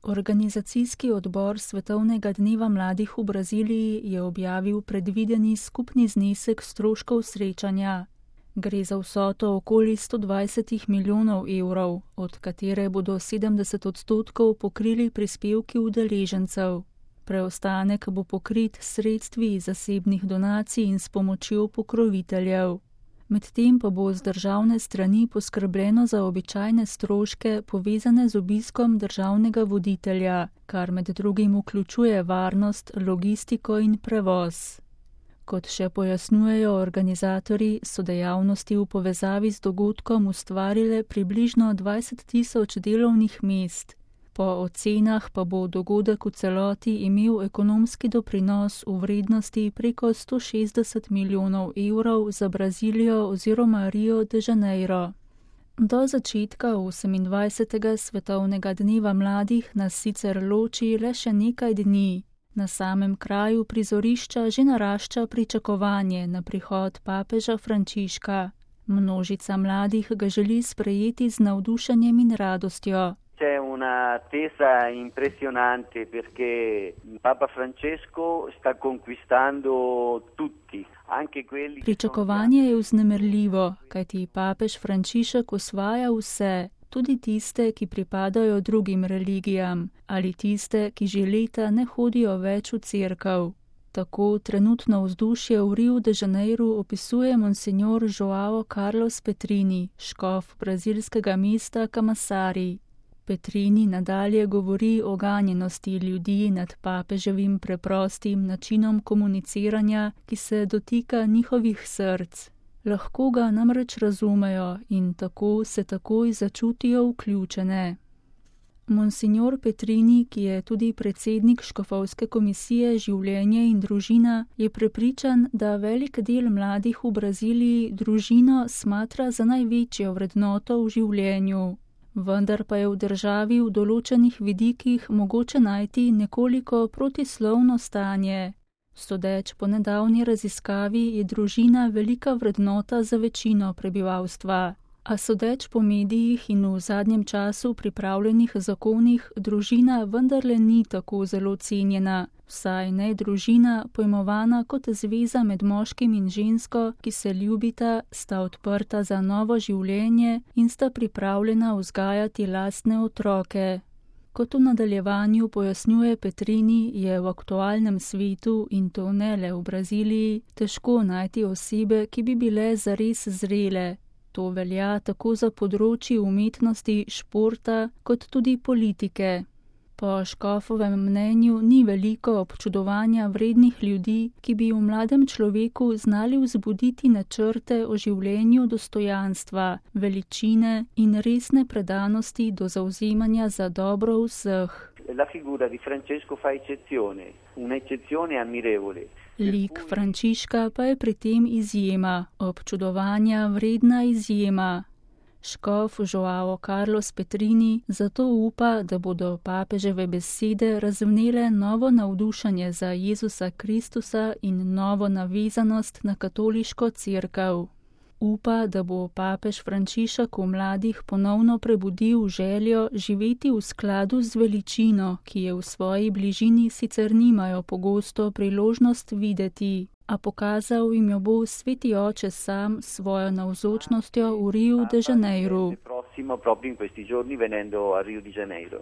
Organizacijski odbor Svetovnega dneva mladih v Braziliji je objavil predvideni skupni znesek stroškov srečanja. Gre za vsoto okoli 120 milijonov evrov, od katere bodo 70% pokrili prispevki udeležencev. Preostanek bo pokrit s sredstvi iz zasebnih donacij in s pomočjo pokroviteljev. Medtem pa bo z državne strani poskrbljeno za običajne stroške povezane z obiskom državnega voditelja, kar med drugim vključuje varnost, logistiko in prevoz. Kot še pojasnjujejo organizatorji, so dejavnosti v povezavi z dogodkom ustvarile približno 20.000 delovnih mest. Po ocenah pa bo dogodek v celoti imel ekonomski doprinos v vrednosti preko 160 milijonov evrov za Brazilijo oziroma Rio de Janeiro. Do začetka 28. svetovnega dneva mladih nas sicer loči le še nekaj dni. Na samem kraju prizorišča že narašča pričakovanje na prihod papeža Frančiška. Množica mladih ga želi sprejeti z navdušenjem in radostjo. C'è un'attesa impressionante perché Papa Francesco sta conquistando tutti, anche quelli. Pričakovanje je vznemirljivo, kajti papež Frančišek osvaja vse, tudi tiste, ki pripadajo drugim religijam, ali tiste, ki že leta ne hodijo več v cerkev. Tako trenutno vzdušje v Rio de Janeiru opisuje monsignor João Carlos Petrini, škof brazilskega mesta Camaçari. Petrini nadalje govori o ganjenosti ljudi nad papeževim preprostim načinom komuniciranja, ki se dotika njihovih src. Lahko ga namreč razumejo in tako se takoj začutijo vključene. Monsignor Petrini, ki je tudi predsednik škofovske komisije Življenje in družina, je prepričan, da velik del mladih v Braziliji družino smatra za največjo vrednoto v življenju. Vendar pa je v državi v določenih vidikih mogoče najti nekoliko protislovno stanje. Sodeč po nedavni raziskavi je družina velika vrednota za večino prebivalstva. A sodeč po medijih in v zadnjem času pripravljenih zakonih, družina vendarle ni tako zelo cenjena, vsaj ne družina, pojmovana kot zveza med moškim in žensko, ki se ljubita, sta odprta za novo življenje in sta pripravljena vzgajati lastne otroke. Kot v nadaljevanju pojasnjuje Petrini, je v aktualnem svetu, in to ne le v Braziliji, težko najti osebe, ki bi bile zares zrele. To velja tako za področji umetnosti, športa, kot tudi politike. Po škofovem mnenju ni veliko občudovanja vrednih ljudi, ki bi v mladem človeku znali vzbuditi načrte o življenju dostojanstva, veličine in resne predanosti do zavzemanja za dobro vseh. La figura di Francesco fa eccezione, un'eccezione ammirevole. Lik Frančiška pa je pri tem izjema, občudovanja vredna izjema. Škof João Carlos Petrini zato upa, da bodo papeževe besede razvnele novo navdušenje za Jezusa Kristusa in novo navezanost na katoliško cerkev. Upa, da bo papež Frančišek v mladih ponovno prebudil željo živeti v skladu z veličino, ki je v svoji bližini sicer nimajo pogosto priložnost videti, a pokazal jim jo bo Sveti Oče sam s svojo navzočnostjo v Rio de Janeiru.